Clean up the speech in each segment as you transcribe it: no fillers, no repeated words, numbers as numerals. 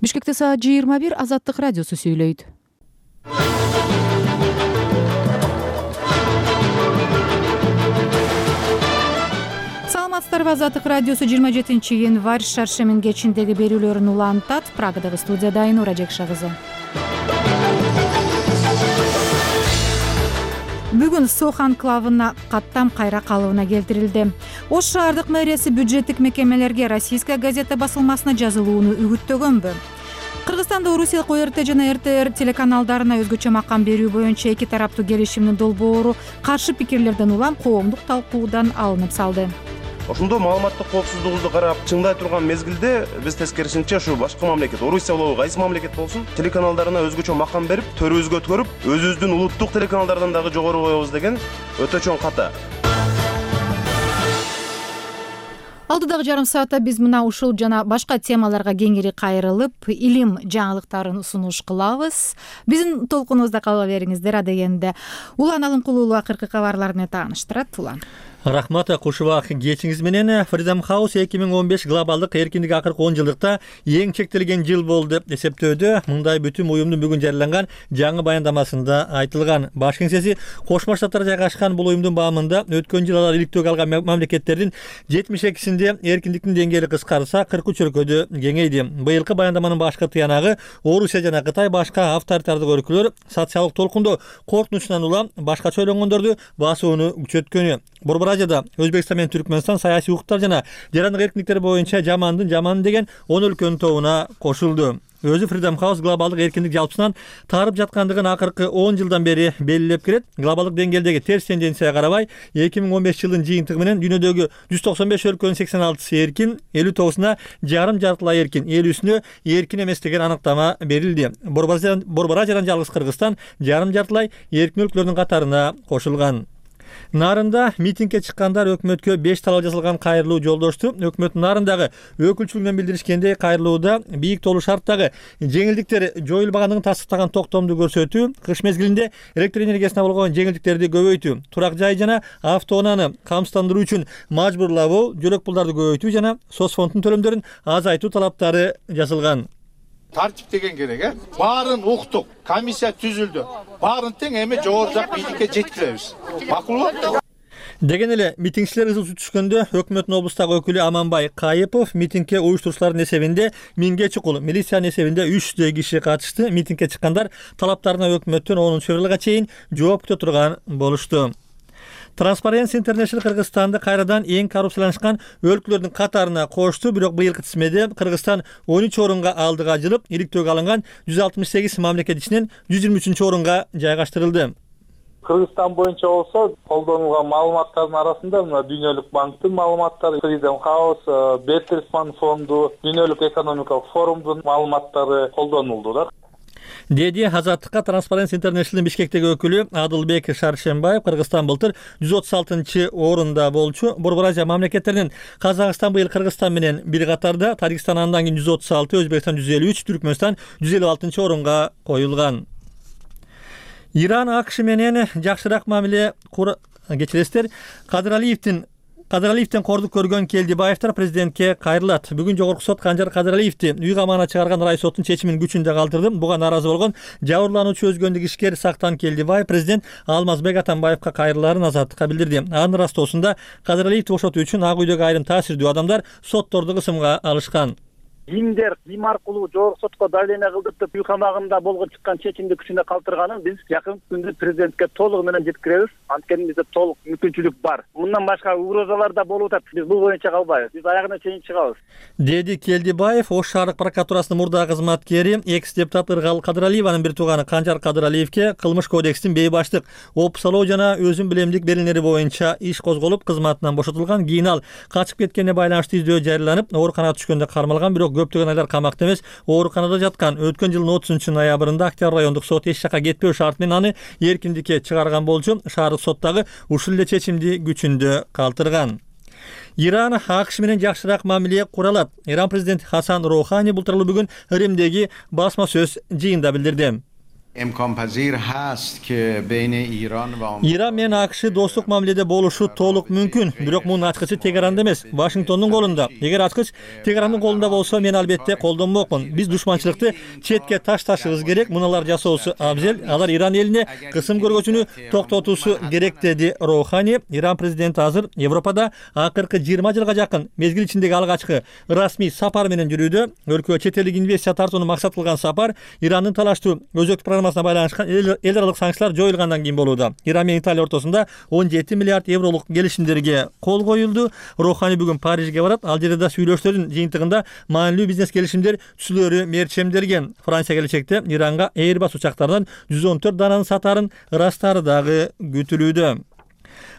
Бишкекте саат 21 Азаттык радиосу сүйлөйт. Саламатсыздарбы, Азаттык радиосу 27 январь шаршемин кечиндеги берүүлөрүн улантат. Прагадагы студияда Айнура Жекша кызы. Бүгүн Сох анклавына каттам кайра калыбына келтирилди. Ош шаардык мэриясы бюджеттик мекемелерге Российская газета басылмасына жазылууну үгүттөгөнбү? Кыргызстанда Орусиялык ОРТ жана РТР телеканалдарына өзгөчө макам берүү боюнча эки тараптуу келишимдин долбоору каршы пикирлерден улам коомдук талкуудан алынып салды. Ошондо маалыматтык коопсуздугубузду карап чыңдай турган мезгилде биз тескерисинче ушу башка мамлекет, Орусия болобу, кайсы мамлекет болсун, телеканалдарына өзгөчө макам берип, төрүбүзгө өткөрүп, өзүбүздүн улуттук телеканалдардан дагы жогору коебуз деген өтө чоң ката. Алдыдагы жарым саатта биз мына ушул жана башка темаларга кеңири кайрылып, илим жаңылыктарын сунуш кылабыз. Биздин толкунубузда кала бериңиздер адегенде. Улан Алымкулуулу акыркы кабарлар менен тааныштырат. Улан. Рахмат, кушубак кечиңиз менен. Freedom House 2015 глобалдык эркиндик акыркы 10 жылдыкта эң чектелген жыл болду деп эсептөөдө. Мындай бүтүн уюмдун бүгүн жарыяланган жаңы баяндамасында айтылган. Баш кеңсеси Кошмо Штаттар жайгашкан бул уюмдун баамында өткөн жыл алар иликтөөгө алган мамлекеттердин 72-синде эркиндиктин деңгээли кыскарса 43 өлкөдө кеңейди. Быйылкы баяндаманын башкы тыянагы Орусия жана Кытай башка авторитардык өлкөлөр социалдык толкундо коркунучунан улам башкача ойлонгондорду басууну күчөткөнү. Борборажада Өзбекстан менен Түркмөнстан саясий укуктар жана жарандык эркиндиктер боюнча жамандын жаманы деген 10 өлкөнүн тобуна кошулду. Өзү Freedom House глобалдык эркиндик жалпысынан тарып жаткандыгын акыркы 10 жылдан бери белгилеп келет. Глобалдык деңгээлдеги терс тенденцияга карабай 2015 жылдын жыйынтыгы менен дүйнөдөгү 195 өлкөнүн 86-сы эркин, 59-уна жарым-жартылай эркин, 50-сүнө эркин эмес деген аныктама берилди. Борборажадан жалгыз Кыргызстан жарым-жартылай эркин өлкөлөрдүн катарына кошулган. Нарында митингге чыккандар өкмөткө 5 талап жазылган кайрылуу жолдошту. Өкмөттүн нарындагы өкүлчүлүгүнөн билдиришкендей, кайрылууда бийик толуу шарттагы жеңилдиктер жоюлбагандыгын тастыктаган токтомду көрсөтүү, кыш мезгилинде электр энергиясына болгон жеңилдиктерди көбөйтүү, турак жай жана автоунааны камсыздандыруу үчүн мажбурлабоо, жөлөк пулдарды көбөйтүү жана соцфонддун төлөмдөрүн азайтуу талаптары жазылган. Тартип деген керек, баарын уктук, комиссия түзүлдү. Баарын тең эми жогору жак бийликке жеткиребиз. Макулбу? Деген эле митингчилер ызыл түшкөндө өкмөттүн облустагы өкүлү Аманбай Кайыпов митингге уюштуруучулардын эсебинде 1000ге чукул, милициянын эсебинде 300 киши катышты. Митингге чыккандар талаптарына өкмөттөн 10-февралга чейин жооп күтө турган болушту. Transparency International Кыргызстанды кайрадан эң коррупцияланышкан өлкөлөрдүн катарына кошту, бирок быйылкы тизмеде Кыргызстан 13 орунга алдыга жылып, иликтөөгө алынган 168 мамлекет ичинен 123 орунга жайгаштырылды. Кыргызстан боюнча болсо, колдонулган маалыматтардын арасында мына Дүйнөлүк банктын маалыматтары, Freedom House, Bertelsmann фонду, Дүйнөлүк экономикалык форумдун маалыматтары колдонулду да. Деди Азаттыкка Transparency International Бишкектеги өкүлү Адылбек Шаршембаев. Кыргызстан былтыр 136 орунда болчу. Борбоража мамлекеттеринен Казакстан быйыл Кыргызстан менен бир катарда, Тажикстан андан кийин 136, Өзбекстан 153, Түркмөнстан 156 орунга коюлган. Иран АКШ менен жакшыраак мамиле кечиресиздер. Кадыралиевден кордук көргөн Келдибаевдер президентке кайрылат. Бүгүн жогорку сот Канжар Кадыралиевди үй камагына чыгарган рай соттун чечимин күчүндө калтырды. Буга нааразы болгон жабырлануучу өзгөндүк ишкер Сактан Келдибаев президент Алмазбек Атамбаевка кайрылаарын Азаттыкка билдирди. Анын ырастоосунда Кадыралиевди бошотуу үчүн Ак үйдөгү айрым таасирдүү адамдар сотторду кысымга алышкан. Кимдер ким аркылуу жогорку сотко давление кылдырып деп үй камагында болгон чыккан чечимди күчүндө калтырганын биз жакын күндө президентке толугу менен жеткиребиз. Анткени бизде толук мүмкүнчүлүк бар. Мындан башка угрозалар да болуп атат. Биз бул боюнча калбайбыз. Биз аягына чейин чыгабыз. Деди Келдибаев. Ош шаардык прокуратурасынын мурдагы кызматкери, экс-депутат Ыргал Кадыралиеванын бир тууганы Канжар Кадыралиевке кылмыш кодекстин бейбаштык, опусалоо жана өзүн билемдик берилери боюнча иш козголуп, кызматынан бошотулган. Кийин ал качып кеткенине байланыштуу издөө жарыяланып, ооруканага түшкөндө кармалган, бирок көптөгөн айлар камакта эмес, ооруканада жаткан. Өткөн жылдын 30-ноябрында Октябрь райондук сот эч жака кетпөө шарт менен аны эркиндикке чыгарган болчу. Шаардык сот дагы ушул эле чечимди күчүндө калтырган. Иран АКШ менен жакшыраак мамиле кура алат. Иран президенти Хасан Роухани бул тууралуу бүгүн Римдеги басма сөз жыйында билдирди. Иран менен АКШ достук мамиледе болушу толук мүмкүн, бирок мунун ачкычы Тегеранда эмес, Вашингтондун колунда. Эгер ачкыч Тегерандын колунда болсо, мен албетте колдонмокмун. Биз душманчылыкты четке ташташыбыз керек, муналар жасоосу абзел. Алар Иран элине кысым көргөзүүнү токтотуусу керек, деди Роухани. Иран президенти азыр Европада акыркы 20 жылга жакын мезгил ичиндеги алгачкы расмий сапар менен жүрүүдө. Өлкөгө чет элдик инвестиция тартууну максат кылган сапар Ирандын талаштуу өзөктүк программасына байланышкан эл аралык санкциялар жоюлгандан кийин болууда. Иран менен Италия ортосунда 17 миллиард евролук келишимдерге кол коюлду. Роухани бүгүн Парижге барат. Ал жерде да сүйлөштөрдүн жыйынтыгында маанилүү бизнес келишимдер түзүлөрү мерчемдерген. Франция келечекте Иранга Airbus учактарынан 114 дананы сатарын ырастары дагы күтүлүүдө.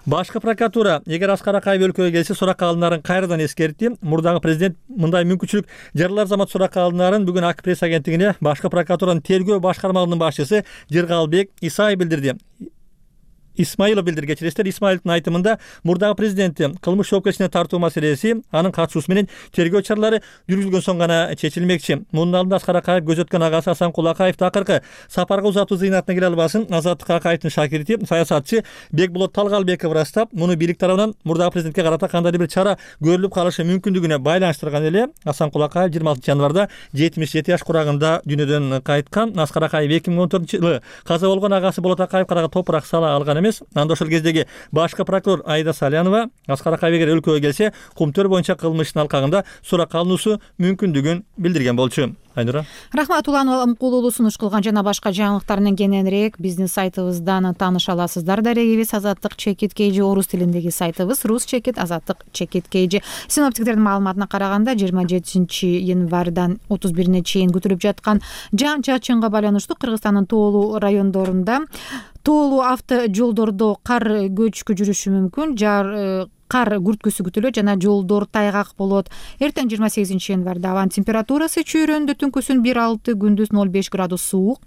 Башкы прокуратура эгер Аскар Акаев өлкөгө келсе, суракка алынарын кайрадан эскертти. Мурдагы президент мындай мүмкүнчүлүк жарылар замат суракка алынарын бүгүн АК пресс агенттигине башкы прокуратуранын тергөө башкармалыгынын башчысы Жыргалбек Исаев билдирди. Исмаилов билдирген. Исмаиловдун айтымында мурдагы президенти кылмыш жоопкерчилигине тартуу маселеси анын катышуусу менен тергөө чаралары жүргүзүлгөн соң гана чечилмекчи. Мунун алдында Аскар Акаев көз өткөн агасы Асанкул Акаевди акыркы сапарга узатуу зыйнатына келе албасын Азаттык Акаевдин шакирти саясатчы Бекболот Талгалбеков ырастап, муну бийлик тарабынан мурдагы президентке карата кандайдыр бир чара көрүлүп калышы мүмкүндүгүнө байланыштырган эле. Асанкул Акаев 26 январда 77 жаш курагында дүйнөдөн кайткан. Аскар Акаев 2014-жылы каза болгон агасы Болот Акаевге карата топурак сала алган эмес. Анда ошол кездеги башкы прокурор Айда Салянова Аскар Акаев эгер өлкөгө келсе, кумтөр боюнча кылмыштын алкагында суракка алынуусу мүмкүндүгүн билдирген болчу. Айнура. Рахмат, Улан Амкулуулу сунуш кылган жана башка жаңылыктар менен кененирээк биздин сайтыбыздан тааныша аласыздар. Дарегибиз Азаттык Чекит KG орус тилиндеги сайтыбыз, Рус Чекит Азаттык Чекит KG. Синоптиктердин маалыматына караганда 27-январдан 31-ине чейин күтүлүп жаткан жаан-чачынга байланыштуу Кыргызстандын тоолуу райондорунда тоолуу авто жолдордо кар көчкү жүрүшү мүмкүн. Кар күрткүсү күтүлөт жана жолдор тайгак болот. Эртең 28-январда абанын температурасы чүйрөндө түнкүсүн 1,6, күндүз 0,5 градус суук.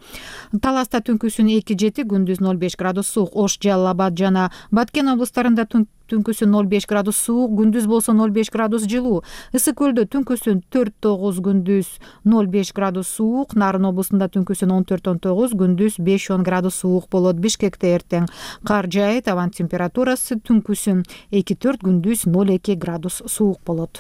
Таласта түнкүсүн 2,7, күндүз 0,5 градус суук. Ош, Жалал Абад жана Баткен облустарында түнкүсүн 0,5 градус суук, күндүз болсо 0,5 градус жылуу. Ысык көлдө түнкүсүн 4,9, күндүз 0,5 градус суук. Нарын облусунда түнкүсүн 14,9, күндүз 5,10 градус суук болот. Бишкекте эртең кар жаайт, абанын температурасы түнкүсүн 2,4, күндүз 0,2 градус суук болот.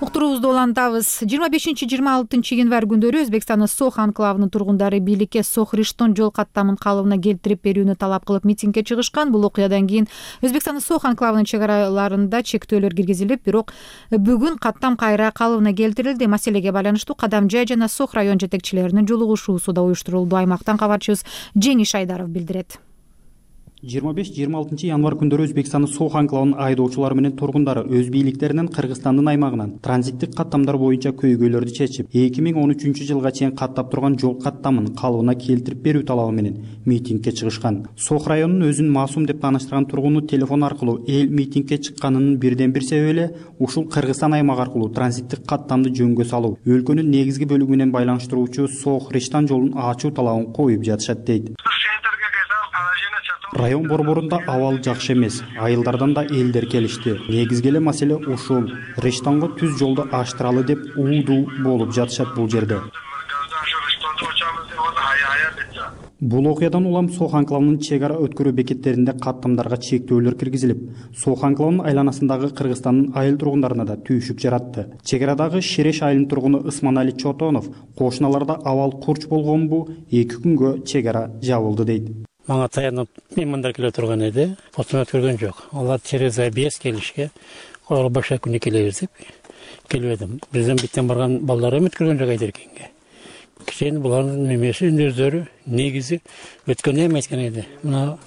Уктуруубузду улантабыз. 25-26 январь күндөрү Өзбекстандын Сох анклавынын тургундары бийликке Сох-Риштон жол каттамын калыбына келтирип берүүнү талап кылып митингге чыгышкан. Бул окуядан кийин Өзбекстандын Сох анклавынын чек араларында чектөөлөр киргизилип, бирок бүгүн каттам кайра калыбына келтирилди. Маселеге байланыштуу Кадам жай жана Сох район жетекчилеринин жолугушуусу да уюштурулду. Аймактан кабарчыбыз Жеңиш Айдаров билдирет. 25-26 январь күндөрү Өзбекстандын Сох анклавынын айдоочулары менен тургундары өз бийликтеринен Кыргызстандын аймагынан транзиттик каттамдар боюнча көйгөйлөрдү чечип, 2013-жылга чейин каттап турган жол каттамын калыбына келтирип берүү талабы менен митингге чыгышкан. Сох районунун өзүн маасум деп тааныштырган тургуну телефон аркылуу эл митингге чыкканынын бирден бир себеби эле ушул Кыргызстан аймагы аркылуу транзиттик каттамды жөнгө салуу, өлкөнүн негизги бөлүгү менен байланыштыруучу Сох-Риштон жолун ачуу талабын коюп жатышат дейт. Район борборунда абал жакшы эмес, айылдардан да элдер келишти. Негизги эле маселе ушул. Риштонго түз жолду ачтыралы деп уудуу болуп жатышат бул жерде. Бул окуядан улам Сох анклавынын чек ара өткөрүү бекеттеринде каттамдарга чектөөлөр киргизилип, Сох анклавынын айланасындагы Кыргызстандын айыл тургундарына да түйшүк жаратты. Чек арадагы Шереш айылынын тургуну Ысманали Чотонов кошуналарда абал курч болгонбу 2 күнгө чек ара жабылды дейт. Мага таянып меймандар келе турган эди. Фотоны өткөргөн жок. Алар через ABS келишке, колго башка күнү келебиз деп келбедим. Бизден биттен барган балдар өткөргөн жок айдеркенге. Кичен булардын немеси өздөрү негизи өткөн эме айткан эди. Мына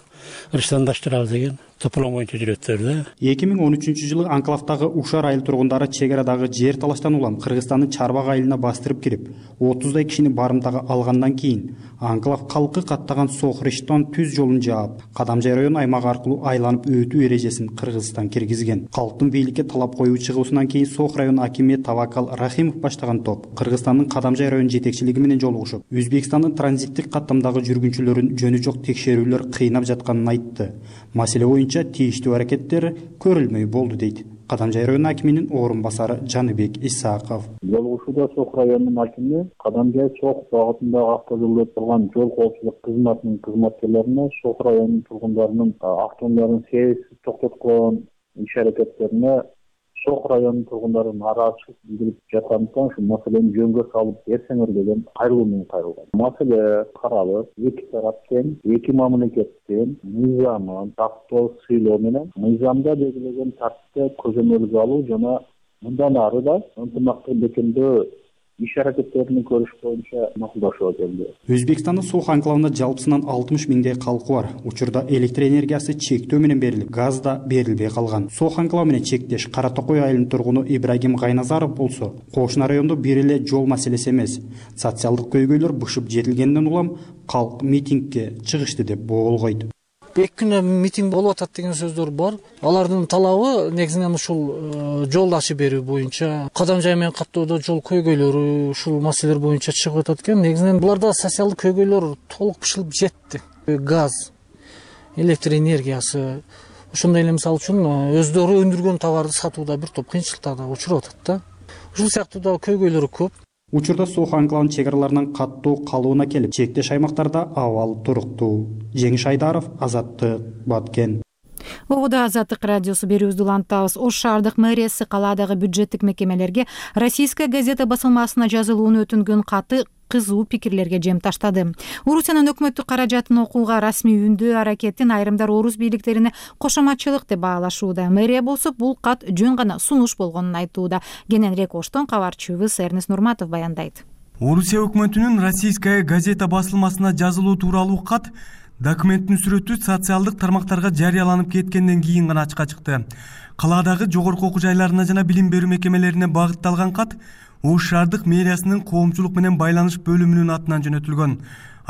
Риштондаштырабыз деген топлом боюнча жүрөттөр да. 2013-жылы анклавдагы Ушар айыл тургундары чек арадагы жер талаштан улам Кыргызстандын Чарбак айылына бастырып кирип, 30дай кишини барымтага алгандан кийин анклав калкы каттаган Сох-Риштон түз жолун жаап, Кадамжай район аймагы аркылуу айланып өтүү эрежесин Кыргызстан киргизген. Калктын бийликке талап коюу чыгуусунан кийин Сох район акими Тавакал Рахимов баштаган топ Кыргызстандын Кадамжай район жетекчилиги менен жолугушуп, Өзбекстандын транзиттик каттамдагы жүргүнчүлөрүн жөнү жок текшерүүлөр кыйнап жатканын айтты. Маселе боюнча тийиштүү аракеттер көрүлмөй болду дейт Кадамжай району акиминин орун басары Жаныбек Исаков. Жолугушууда Сок районунун акими Кадамжай Сок багытындагы автожолдо турган жол коопсуздук кызматынын кызматкерлерине Сок районунун тургундарынын автоунааларын себепсиз токтоткон иш аракеттерине Сок районунун тургундары нааразычылык билдирип жаткандыктан ушу маселени жөнгө салып берсеңер деген кайрылуу менен кайрылган. Маселе каралып, эки тарап тең, эки мамлекеттин мыйзамын тактоо сыйлоо менен мыйзамда белгилеген тартипте көзөмөлгө алуу жана мындан ары да ынтымактуу бекемдөө иш аракеттерин көрүш боюнча макулдашууга келди. Өзбекстандын Сох анклавында жалпысынан 60 миңдей калкы бар. Учурда электр энергиясы чектөө менен берилип, газ да берилбей калган. Сох анклавы менен чектеш Кара Токой айылынын тургуну Ибрагим Гайназаров болсо, кошуна райондо бир эле жол маселеси эмес, социалдык көйгөйлөр бышып жетилгенден улам калк митингге чыгышты деп боолгойт. 2 күнө митинг болуп атат деген сөздөр бар. Алардын талабы негизинен ушул жол ачып берүү боюнча, Кадамжай менен каттоодо жол көйгөйлөрү, ушул маселелер боюнча чыгып атат экен. Негизинен буларда социалдык көйгөйлөр толук бышылып жетти. Газ, электр энергиясы, ошондой эле мисалы үчүн өздөрү өндүргөн товарды сатууда бир топ кыйынчылыктарга учуруп атат да. Ушул сыяктуу да көйгөйлөрү көп. Учурда Сох анклавынын чек араларынан каттуу калыбына келип, чектеш аймактарда абал туруктуу. Жеңиш Айдаров, Азаттык, Баткен. Оғуда Азаттык радиосу берүүбүздү улантабыз. Ош шаардык мэриясы калаадагы бюджеттик мекемелерге Российская газета басылмасына жазылууну өтүнгөн каты кызуу пикирлерге жем таштады. Орусиянын өкмөттүк каражатын окууга расмий үндөө аракетин айрымдар орус бийликтерине кошоматчылык деп баалашууда. Мэрия болсо бул кат жөн гана сунуш болгонун айтууда. Кененирээк Оштон кабарчыбыз Эрнест Нурматов баяндайт. Орусия өкмөтүнүн Российская газета басылмасына жазылуу тууралуу кат документтин сүрөтү социалдык тармактарга жарыяланып кеткенден кийин гана ачыкка чыкты. Калаадагы жогорку окуу жайларына жана билим берүү мекемелерине багытталган кат Ош шаардык мэриясынын коомчулук менен байланыш бөлүмүнүн атынан жөнөтүлгөн.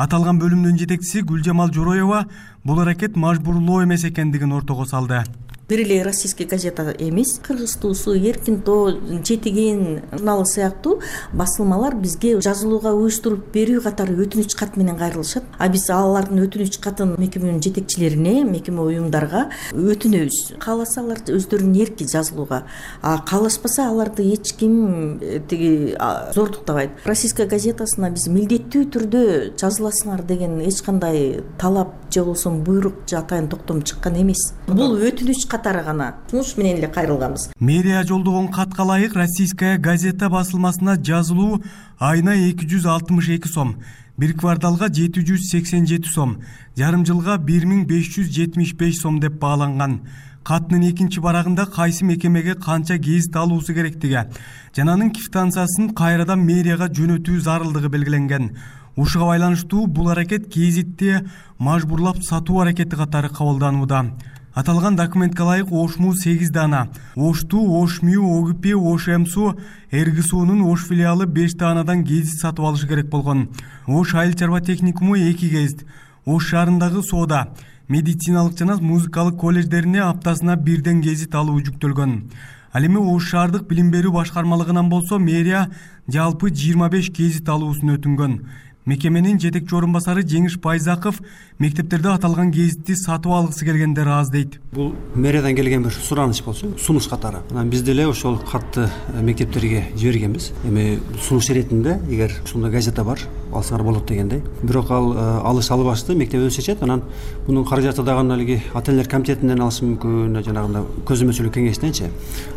Аталган бөлүмдүн жетекчиси Гүлжамал Жороева бул аракет мажбурлоо эмес экендигин ортого салды. Бир эле Российская газета эмес, Кыргыз туусу, Эркин тоо, Жетиген журналы сыяктуу басылмалар бизге жазылууга уюштуруп берүү катары өтүнүч кат менен кайрылышат. А биз алардын өтүнүч катын мекеменин жетекчилерине, мекеме уюмдарга өтүнөбүз. Кааласа алар өздөрүнүн эрки жазылууга, а каалашпаса аларды эч ким зордуктабайт. Российская газетасына биз милдеттүү түрдө жазыласыңар деген эч кандай талап же болбосо буйрук же атайын токтом чыккан эмес. Бул өтүнүч катары гана сунуш менен эле кайрылганбыз. Мэрия жолдогон катка ылайык Российская газета басылмасына жазылуу айына 262 сом, бир кварталга 787 сом, жарым жылга 1575 сом деп бааланган. Каттын экинчи барагында кайсы мекемеге канча гезит алуусу керектиги жана анын квитанциясын кайрадан мэрияга жөнөтүү зарылдыгы белгиленген. Ушуга байланыштуу бул аракет гезитти мажбурлап сатуу аракети катары кабылданууда. Аталган документке ылайык Ошму 8 дана, Ошту, Ошмю, Огипи, Ошемсу, Эргисуунун Ош филиалы 5 данадан гезит сатып алышы керек болгон. Ош айыл чарба техникуму 2 гезит, Ош шаарындагы соода, медициналык жана музыкалык колледждерине аптасына бирден гезит алуу жүктөлгөн. Ал эми Ош шаардык билим берүү башкармалыгынан болсо мэрия жалпы 25 гезит алуусун өтүнгөн. Мекеменин жетекчи орун басары Жеңиш Байзаков мектептерде аталган гезитти сатып алгысы келгендер аз дейт. Бул мэриядан келген бир сураныч болчу, сунуш катары. Анан биз деле ошол катты мектептерге жибергенбиз. Эми сунуш иретинде эгер ушундай газета бар, алсаңар болот дегендей. Бирок ал алыш албашты, мектеп өзү чечет. Анан мунун каражаты дагы алиги ата-энелер комитетинен алышы мүмкүн, жанагындай көзөмөлчүлүк кеңештенчи.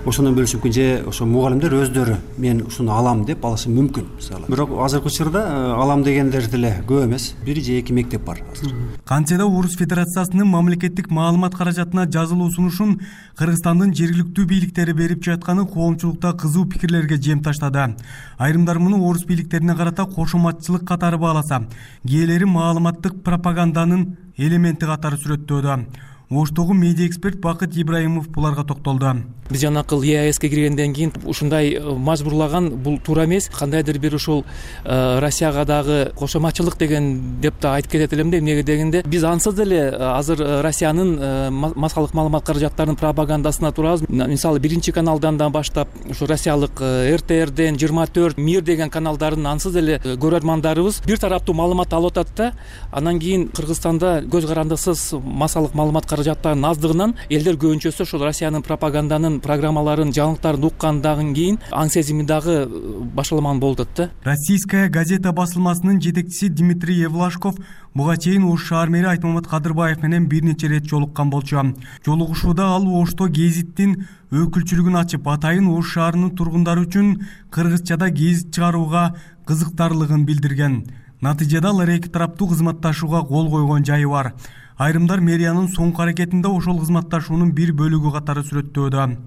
Ошондон бөлүшүп мүмкүн же ошо мугалимдер өздөрү мен ушуну алам деп алышы мүмкүн. Мисалы. Бирок азыркы учурда алам дегендер деле көп эмес. 1 же 2 мектеп бар азыр. Кантсе да Орус Федерациясынын мамлекеттик маалымат каражатына жазылуу сунушун Кыргызстандын жергиликтүү бийликтери берип жатканы коомчулукта кызуу пикирлерге жем таштады. Айрымдар муну орус бийликтерине карата кошоматчылык катары бааласа, кээделери маалыматтык пропаганданын элементи катары сүрөттөөдө. Оштогу медиа эксперт Бакыт Ибраимов буларга токтолду. Биз жанакыл ЕАЭСке киргенден кийин ушундай мажбурлаган бул туура эмес. Кандайдыр бир ушул Россияга дагы кошоматчылык деген деп да айтып кетет элем да. Эмнеге дегенде биз ансыз деле азыр Россиянын массалык маалымат каражаттарынын пропагандасына турабыз. Мисалы 1 каналдан да баштап ушу Россиялык РТРден 24 Мир деген каналдарын ансыз деле көрөрмандарыбыз бир тараптуу маалымат алып атат да. Анан кийин Кыргызстанда көз карандысыз массалык маалымат каражаттардын аздыгынан элдер көбүнчөсү ошол Россиянын пропаганданын программаларын, жаңылыктарын уккандан кийин аң сезими дагы башаламан болуп атат да. Российская газета басылмасынын жетекчиси Дмитрий Евлашков буга чейин Ош шаар мэри Айтмамат Кадырбаев менен бир нече ирет жолуккан болчу. Жолугушууда ал Ошто гезиттин өкүлчүлүгүн ачып, атайын Ош шаарынын тургундары үчүн кыргызчада гезит чыгарууга кызыктарлыгын билдирген. Натыйжада алар эки тараптуу кызматташууга кол койгон жайы бар. Айрымдар мэриянын соңку аракетинде ошол кызматташуунун бир бөлүгү катары сүрөттөөдө.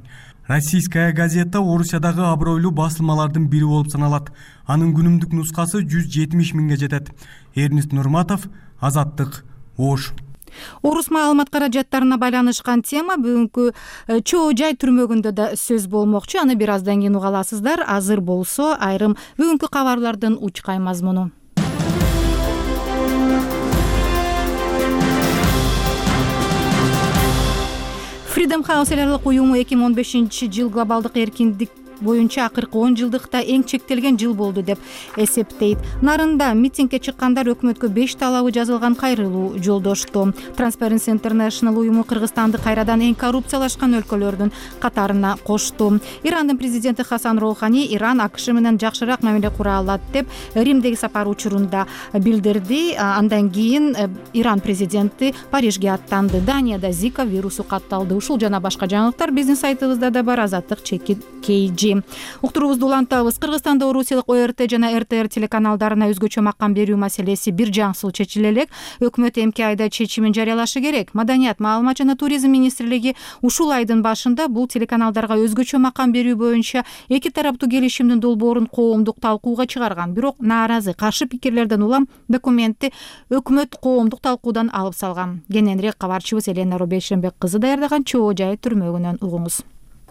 Российская газета Орусиядагы абройлуу басылмалардын бири болуп саналат. Анын күнүмдүк нускасы 170 миңге жетет. Эрнест Нурматов, Азаттык, Ош. Орус маалымат каражаттарына байланышкан тема бүгүнкү чоо жай түрмөгүндө да сөз болмокчу. Аны бир аздан кийин уга аласыздар. Азыр болсо айрым бүгүнкү кабарлардын учкай мазмуну. Freedom House эларлык уюму 2015-жыл глобалдык эркиндик боюнча акыркы 10 жылдыкта эң чектелген жыл болду деп эсептейт. Нарында митингге чыккандар өкмөткө 5 талабы жазылган кайрылуу жолдошту. Transparency International уюму Кыргызстанды кайрадан эң коррупциялашкан өлкөлөрдүн катарына кошту. Ирандын президенти Хасан Роухани Иран АКШ менен жакшыраак мамиле кура алат деп Римдеги сапар учурунда билдирди. Андан кийин Иран президенти Парижге аттанды. Данияда Зика вирусу катталды. Ушул жана башка жаңылыктар биздин сайтыбызда да бар. Азаттык ЧК. Уктуруубузду улантабыз. Кыргызстанда Орусиялык ОРТ жана РТР телеканалдарына өзгөчө макам берүү маселеси бир жаңсыл чечиле элек. Өкмөт эмки айда чечимин жарыялашы керек. Маданият, маалымат жана туризм министрлиги ушул айдын башында бул телеканалдарга өзгөчө макам берүү боюнча эки тараптуу келишимдин долбоорун коомдук талкууга чыгарган. Бирок нааразы, каршы пикирлерден улам документти өкмөт коомдук талкуудан алып салган. Кененирээк кабарчыбыз Елена Рубейшенбек кызы даярдаган чоо жай түрмөгүнөн угуңуз.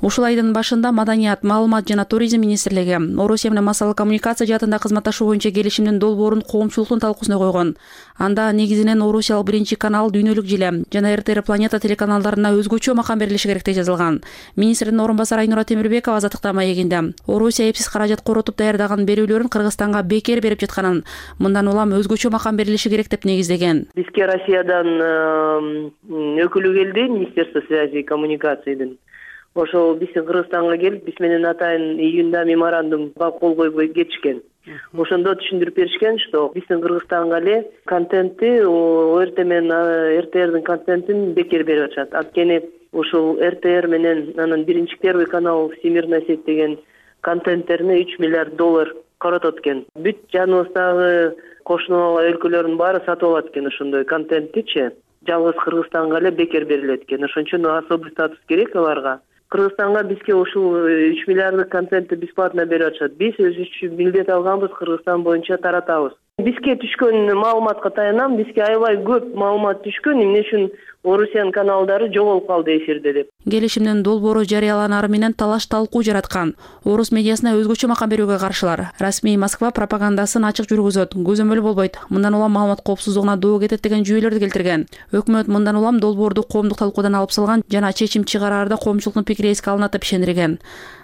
Ушул айдын башында Маданият, маалымат жана туризм министрлиги Орусия менен массалык коммуникация жаатында кызматташуу боюнча келишимдин долбоорун коомчулуктун талкуусуна койгон. Анда негизинен Орусиялык биринчи канал, Дүйнөлүк Желе жана РТР Планета телеканалдарына өзгөчө макам берилиши керек деп жазылган. Министрдин орун басары Айнура Темирбекова Азаттыкта маегинде Орусия эпсиз каражат коротуп даярдаган берүүлөрүн Кыргызстанга бекер берип жатканын, мындан улам өзгөчө макам берилиши керек деп негиздеген. Бизге Россиядан өкүлү келди, Министерство связи и коммуникациядан. Ошол биздин Кыргызстанга келип, биз менен атайын июнда меморандумга кол койбой кетишкен. Ошондо түшүндүрүп беришкен, что биздин Кыргызстанга эле контентти ОРТ менен РТРдин контентин бекер берип атышат. Анткени ушул РТР менен анын биринчи первый канал Всемирная сеть деген контенттерине $3 миллиард коротот экен. Бүт жаныбыздагы кошуна өлкөлөрдүн баары сатып алат экен ошондой контенттичи. Жалгыз Кыргызстанга эле бекер берилет экен. Ошон үчүн особый статус керек аларга. Кыргызстанга бизге ушул 3 миллиарддык контентти бесплатно берип атышат. Биз өзүбүз милдет алганбыз, Кыргызстан боюнча таратабыз. Бизге түшкөн маалыматка таянам, бизге аябай көп маалымат түшкөн, эмне үчүн Орусиянын каналдары жоголуп калды эфирде деп. Келишимдин долбоору жарыяланары менен талаш талкуу жараткан. Орус медиасына өзгөчө макам берүүгө каршылар. Расмий Москва пропагандасын ачык жүргүзөт, көзөмөл болбойт. Мындан улам маалымат коопсуздугуна доо кетет деген жүйөлөрдү келтирген. Өкмөт мындан улам долбоорду коомдук талкуудан алып салган жана чечим чыгараарда коомчулуктун пикири эске алынат деп ишендирген.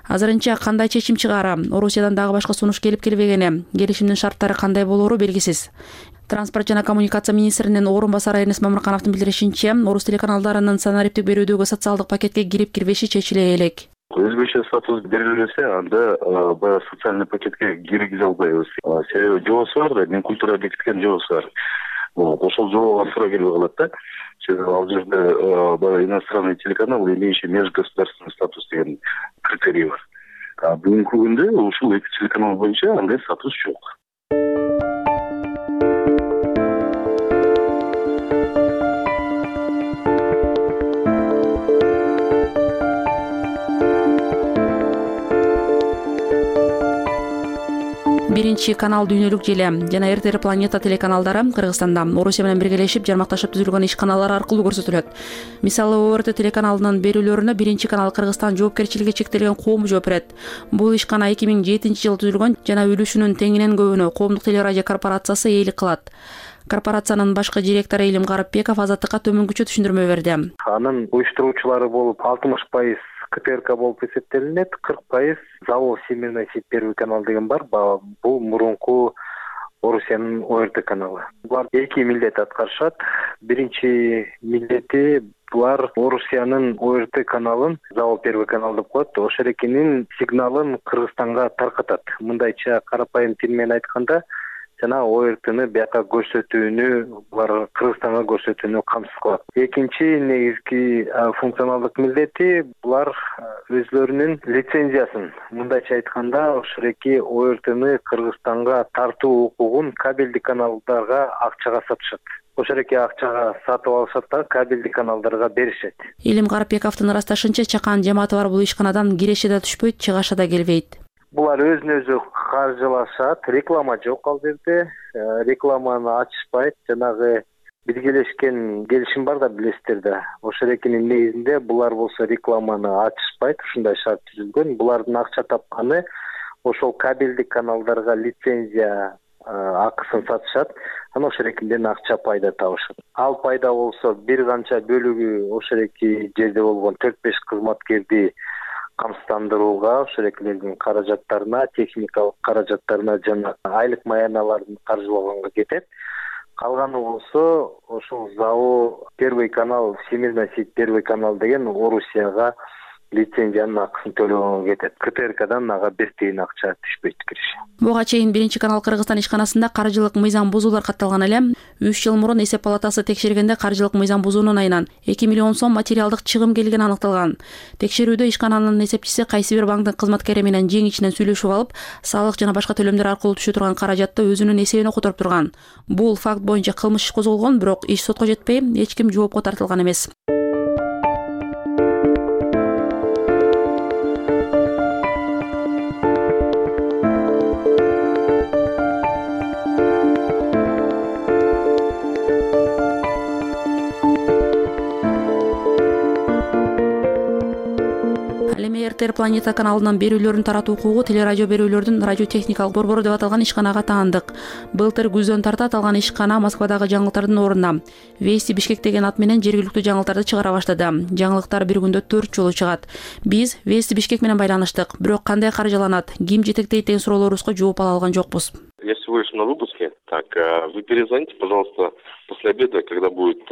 Азырынча кандай чечим чыгаара, Орусиядан дагы башка сунуш келип-келбегени, келишимдин шарттары кандай болоору белгисиз. Транспорт жана коммуникация министринин орун басары Эрнест Мамыркановдун билдиришинче, Орус телеканалдарынын санариптик берүүдөгү социалдык пакетке кирип-кирбеши чечиле элек. Өзгөчө статус берилсе, анда баягы социальный пакетке киргизе албайбыз. Себеби жобосу бар да, мен культура бекиткен жобосу бар. Ошол жобого туура келбей калат да. Себеби ал жерде баягы иностранный телеканал, имеющий межгосударственный статус деген критерий бар. Бүгүнкү күндө ушул эки телеканал боюнча андай статус жок. Биринчи канал Дүйнөлүк Желе жана РТР Планета телеканалдары Кыргызстанда Орусия менен биргелешип жармакташып түзүлгөн иш каналдары аркылуу көрсөтүлөт. Мисалы ОРТ телеканалынын берүүлөрүнө биринчи канал Кыргызстан жоопкерчилиги чектелген коому жооп берет. Бул ишкана 2007-жылы түзүлгөн жана үлүшүнүн теңинен көбүнө Коомдук телерадио корпорациясы ээлик кылат. Корпорациянын башкы директору Илим Гарыпбеков Азаттыкка төмөнкүчө түшүндүрмө берди. Анын уюштуруучулары болуп 60% КТРК болуп эсептелинет, 40% завод Всемирная сеть первый канал деген бар. Бул мурунку Орусиянын ОРТ каналы. Булар эки милдет аткарышат. Биринчи милдети булар Орусиянын ОРТ каналын, Завол Первый канал деп коет, ошол экенин сигналын Кыргызстанга таркатат. Мындайча карапайым тил менен айтканда, жана ОРТны бияка көрсөтүүнү, булар Кыргызстанга көрсөтүүнү камсыз кылат. Экинчи негизги функционалдык милдети булар өзлөрүнүн лицензиясын, мындайча айтканда, ошол эки ОРТны Кыргызстанга тартуу укугун кабелдик каналдарга акчага сатышат. Ошол эки акчага сатып алышат да кабелдик каналдарга беришет. Илим Карапбековдун ырасташынча, чакан жамааты бар бул ишканадан киреше да түшпөйт, чыгаша да келбейт. Булар өзүн өзү каржылашат, реклама жок ал жерде, рекламаны ачышпайт, жанагы биргелешкен келишим бар да, билесиздер да. Ошол экенин негизинде булар болсо рекламаны ачышпайт, ушундай шарт түзүлгөн. Булардын акча тапканы ошол кабелдик каналдарга лицензия акысын сатышат, анан ошол экинден акча пайда табышат. Ал пайда болсо бир канча бөлүгү ошол эки жерде болгон 4-5 кызматкерди камсыздандырууга, ошол экилердин каражаттарына, техникалык каражаттарына жана айлык маяналарын каржылоого кетет. Калганы болсо ошол Завол Первый канал, Всемирная сеть Первый канал деген Орусияга лицензиянын акысын төлөгөнгө кетет. КТРКдан ага бир тиын акча түшпөйт киреше. Буга чейин биринчи канал Кыргызстан ишканасында каржылык мыйзам бузуулар катталган эле. 3 жыл мурун эсеп палатасы текшергенде каржылык мыйзам бузуунун айынан 2 миллион сом материалдык чыгым келгени аныкталган. Текшерүүдө ишкананын эсепчиси кайсы бир банктын кызматкери менен жең ичинен сүйлөшүп алып, салык жана башка төлөмдөр аркылуу түшө турган каражатты өзүнүн эсебине которуп турган. Бул факт боюнча кылмыш иш козголгон, бирок иш сотко жетпей, эч ким жоопко тартылган эмес. РТР Планета каналынан берүүлөрүн таратуу укугу телерадио берүүлөрдүн радиотехникалык борбору деп аталган ишканага таандык. Былтыр күздөн тарта аталган ишкана Москвадагы жаңылыктардын ордуна Вести Бишкек деген ат менен жергиликтүү жаңылыктарды чыгара баштады. Жаңылыктар бир күндө 4 жолу чыгат. Биз Вести Бишкек менен байланыштык, бирок кандай каржыланат, ким жетектейт деген суроолорубузга жооп ала алган жокпуз. Я всего лишь на выпуске. Так, вы перезвоните, пожалуйста, после обеда, когда будет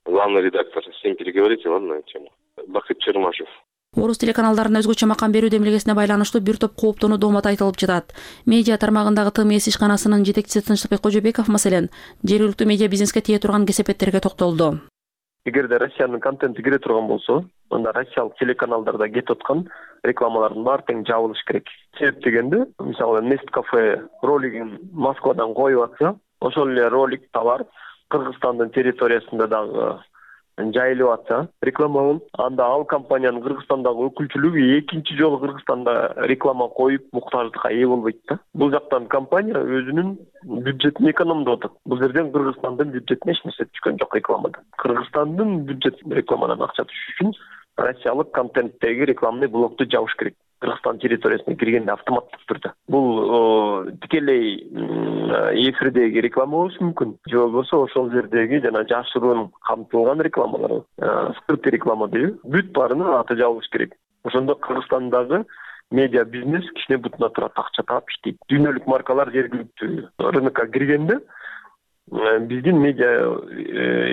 главный редактор. С ним переговорите, ладно, на эту тему. Бахыт Чермашев. Орус телеканалдарына өзгөчө макам берүү демилгесине байланыштуу бир топ кооптонуу доомат айтылып жатат. Медиа тармагындагы ТМС ишканасынын жетекчиси Тынчтыкбек Кожобеков маселен жергиликтүү медиа бизнеске тие турган кесепеттерге токтолду. Эгерде Россиянын контенти кире турган болсо, анда россиялык телеканалдарда кетип аткан рекламалардын баары тең жабылыш керек. Себеп дегенде, мисалы Nest Cafe ролигин Москвадан коюп атса, ошол эле ролик товар Кыргызстандын территориясында дагы жайылып атса, рекламаланып, анда ал компаниянын Кыргызстандагы өкүлчүлүгү экинчи жолу Кыргызстанда реклама коюп муктаждыкка ээ болбойт да. Бул жактан компания өзүнүн бюджетин экономдоп атат. Бул жерден Кыргызстандын бюджетине эч нерсе түшкөн жок рекламадан. Кыргызстандын бюджетине рекламадан акча түшүш үчүн россиялык контенттеги рекламный блокту жабыш керек. Кыргызстан территориясына киргенде автоматтык түрдө. Бул тикелей эфирдеги реклама болушу мүмкүн. Же болбосо ошол жердеги жана жашыруун камтылган рекламалар, скрытый реклама дейби, бүт баарынын аты жабылыш керек. Ошондо Кыргызстандагы медиа бизнес кичине бутуна турат, акча таап иштейт. Дүйнөлүк маркалар жергиликтүү рынокко киргенде биздин медиа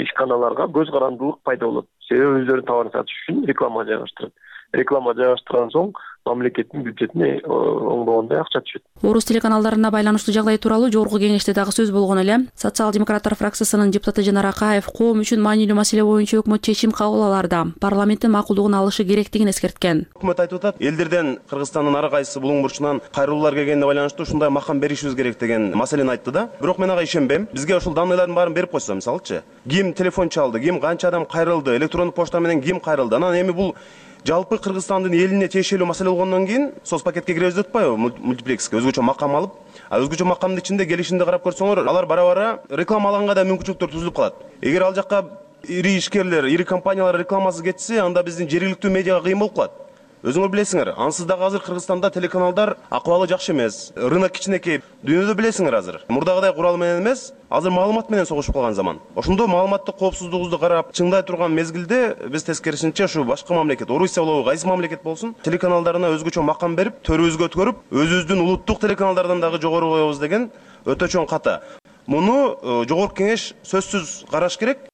ишканаларга көз карандылык пайда болот. Себеби өздөрүнүн товарын сатыш үчүн реклама жайгаштырат. Реклама жайгаштырган соң мамлекеттин бюджетине оңдогондой акча түшөт. Орус телеканалдарына байланыштуу жагдай тууралуу жогорку кеңеште дагы сөз болгон эле. Социал-демократтар фракциясынын депутаты Жанар Акаев коом үчүн маанилүү маселе боюнча өкмөт чечим кабыл алаарда парламенттин макулдугун алышы керектигин эскерткен. Өкмөт айтып атат, элдерден Кыргызстандын ар кайсы булуң бурчунан кайрылуулар келгенине байланыштуу ушундай макам беришибиз керек деген маселени айтты да. Бирок мен ага ишенбейм. Бизге ошол данныйлардын баарын берип койсо, мисалычы, ким телефон чалды, ким канча адам кайрылды, электрондук почта менен ким кайрылды. Анан эми бул жалпы Кыргызстандын элине тиешелүү маселе болгондон кийин соцпакетке киребиз деп атпайбы, мультиплекске өзгөчө макам алып, өзгөчө макамдын ичинде келишимди карап көрсөңөр, алар бара-бара реклама алганга да мүмкүнчүлүктөр түзүлүп калат. Эгер ал жакка ири ишкерлер, ири компаниялар рекламасыз кетсе, анда биздин жергиликтүү медиага кыйын болуп калат. Өзүңөр билесиңер, ансыз дагы азыр Кыргызстанда телеканалдар акыбалы жакшы эмес. Рынок кичинекей. Дүйнөдө билесиңер азыр. Мурдагыдай курал менен эмес, азыр маалымат менен согушуп калган заман. Ошондо маалыматтык коопсуздугубузду карап, чыңдай турган мезгилде биз тескерисинче ушу башка мамлекет, Орусия болобу, кайсы мамлекет болсун, телеканалдарына өзгөчө макам берип, төрүбүзгө өткөрүп, өзүбүздүн улуттук телеканалдардан дагы жогору коебуз деген өтө чоң ката. Муну жогорку кеңеш сөзсүз караш керек.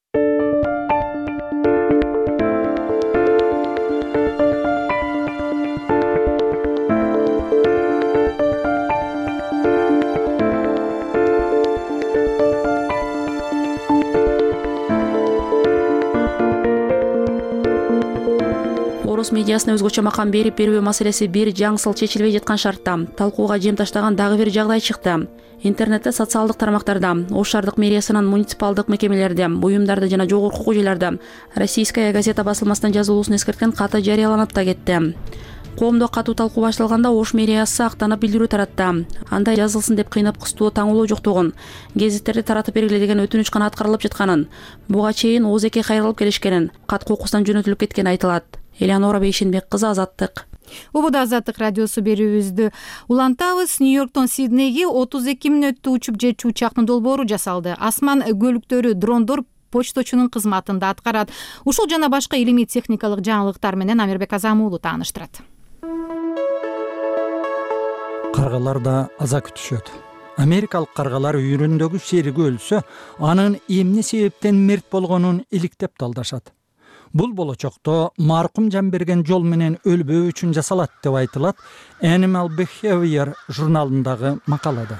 Орус медиасына өзгөчө макам берүү маселеси бир жаңсыл чечилбей жаткан шартта талкууга жем таштаган дагы бир жагдай чыкты. Интернетте, социалдык тармактарда, Ош шаардык мэриясынын муниципалдык мекемелерде, буюмдарда жана жогорку көчөлөрдө Российская газета басылмасынын жазылуусун эскерткен каты жарыяланып да кетти. Коомдо катуу талкуу башталганда Ош мэриясы актанып билдирүү таратты. Андай жазылсын деп кыйнап кыстоо таңуулоо жоктугун, гезиттерди таратып бергиле деген өтүнүч гана аткарылып жатканын, буга чейин ОЗК кайрылып келишкенин, кат кокустан жөнөтүлүп кеткени айтылат. Элеонора Бейшенбек кызы, Азаттык. Убуда Азаттык радиосу берүүбүздү улантабыз. Нью-Йорктон Сиднейге 32 мүнөттө учуп жетчү учактын долбоору жасалды. Асман көлүктөрү, дрондор почточунун кызматында аткарат. Ушул жана башка илимий техникалык жаңылыктар менен Амирбек Азамуулу тааныштырат. Каргалар да аза күтүшөт. Америкалык каргалар үйрүндөгү шериги өлсө, анын эмне себептен мерт болгонун иликтеп талдашат. Бул болочокто маркум жан берген жол менен өлбөө үчүн жасалат деп айтылат Animal Behavior журналындагы макалада.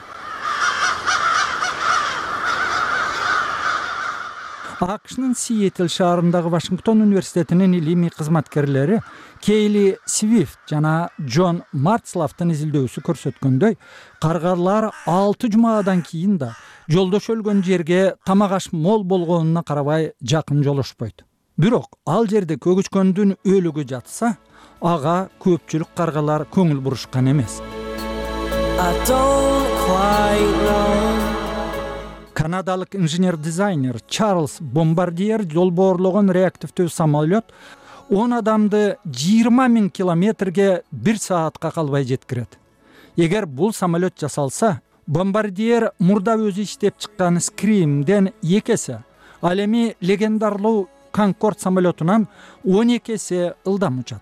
АКШнын Сиэтл шаарындагы Вашингтон университетинин илимий кызматкерлери Кейли Свифт жана Джон Марцлафтын изилдөөсү көрсөткөндөй, каргалар 6 жумадан кийин да жолдош өлгөн жерге тамак аш мол болгонуна карабай жакын жолошпойт. Бирок ал жерде көгүчкөндүн өлүгү жатса, ага көпчүлүк каргалар көңүл бурушкан эмес. Канадалык инженер-дизайнер Чарльз Бомбардиер долбоорлогон реактивдүү самолет 10 адамды 20 000 километрге 1 саатка калбай жеткирет. Эгер бул самолет жасалса, Бомбардиер мурда өзү иштеп чыккан Scream'ден 2 эсе, ал эми легендарлуу Конкорд самолетунан 12 эсе ылдам учат.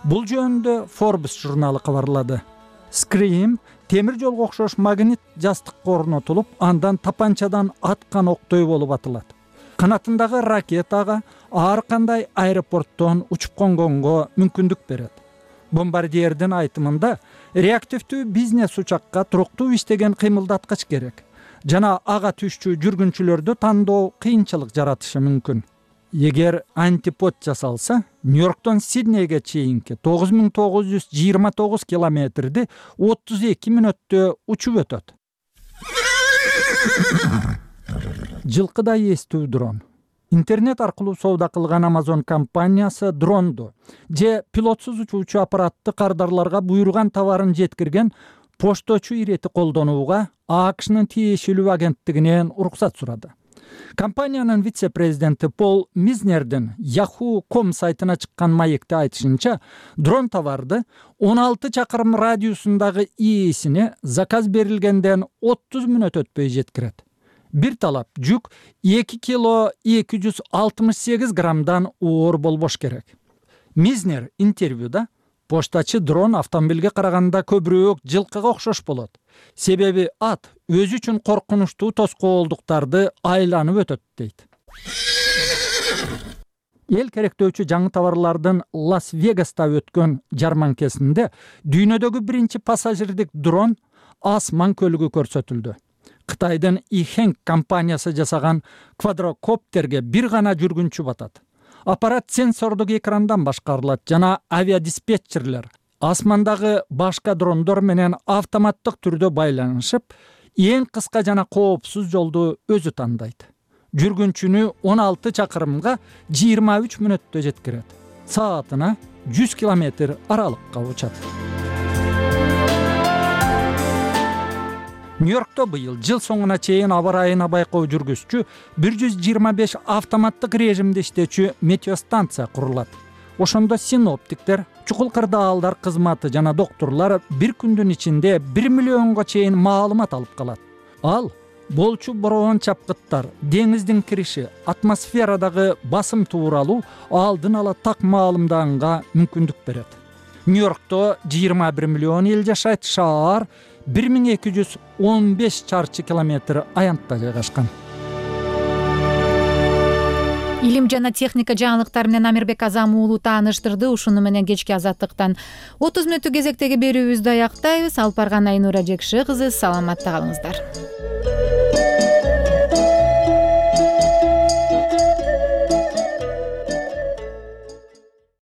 Бул жөнүндө Forbes журналы кабарлады. Scream темир жолго окшош магнит жастыкка орнотулуп, андан тапанчадан аткан октой болуп атылат. Канатындагы ракетага ар кандай аэропорттон учуп конгонго мүмкүндүк берет. Бомбардиердин айтымында реактивдүү бизнес учакка туруктуу иштеген кыймылдаткыч керек жана ага түшчү жүргүнчүлөрдү тандоо кыйынчылык жаратышы мүмкүн. Эгер антипод жасалса, Нью-Йорктон Сиднейге чейинки 9929 километрди 32 мүнөттө учуп өтөт. Жылкыдай эстүү дрон. Интернет аркылуу соода кылган Amazon компаниясы дронду же пилотсуз учуучу аппаратты кардарларга буйруган товарын жеткирген пошточу ирети колдонууга АКШнын тиешелүү агенттигинен уруксат сурады. Компаниянын вице-президенти Пол Мизнердин Yahoo.com сайтына чыккан маекте айтышынча, дрон товарды 16 чакырым радиусундагы ээсине заказ берилгенден 30 мүнөт өтпөй жеткирет. Бир талап жүк 2 кило 268 граммдан оор болбош керек. Мизнер интервьюда поштачы дрон автомобилге караганда көбүрөөк жылкыга окшош болот. Себеби ат өзү үчүн коркунучтуу тоскоолдуктарды айланып өтөт дейт. Эл керектөөчү жаңы товарлардын Лас-Вегаста өткөн жарманкесинде дүйнөдөгү биринчи пассажирдик дрон Асман көлүгү көрсөтүлдү. Кытайдын Ихэнг компаниясы жасаган квадрокоптерге бир гана жүргүнчү батат. Аппарат сенсордук экрандан башкарылат жана авиадиспетчерлер асмандагы башка дрондор менен автоматтык түрдө байланышып, эң кыска жана коопсуз жолду өзү тандайт. Жүргүнчүнү 16 чакырымга 23 мүнөттө жеткирет. Саатына 100 километр аралыкка учат. Нью-Йоркто быйыл жыл соңуна чейин аба ырайына байкоо жүргүзчү 125 автоматтык режимде иштечү метеостанция курулат. ошондо синоптиктер, чукул кырдаалдар кызматы жана докторлор бир күндүн ичинде 1 миллионго чейин маалымат алып калат. Ал болчу бороон чапкыттар, деңиздин кириши, атмосферадагы басым тууралуу алдын ала так маалымданга мүмкүндүк берет. Нью-Йоркто 21 миллион эл жашайт, шаар 1215 чарчы километр аянтта жайгашкан. Илим жана техника жаңылыктары менен Амирбек Азам уулу тааныштырды. Ушуну менен кечки азаттыктан 30 мүнөттүк кезектеги берүүбүздү аяктайбыз. Алып барган Айнура Жекше кызы, саламатта калыңыздар.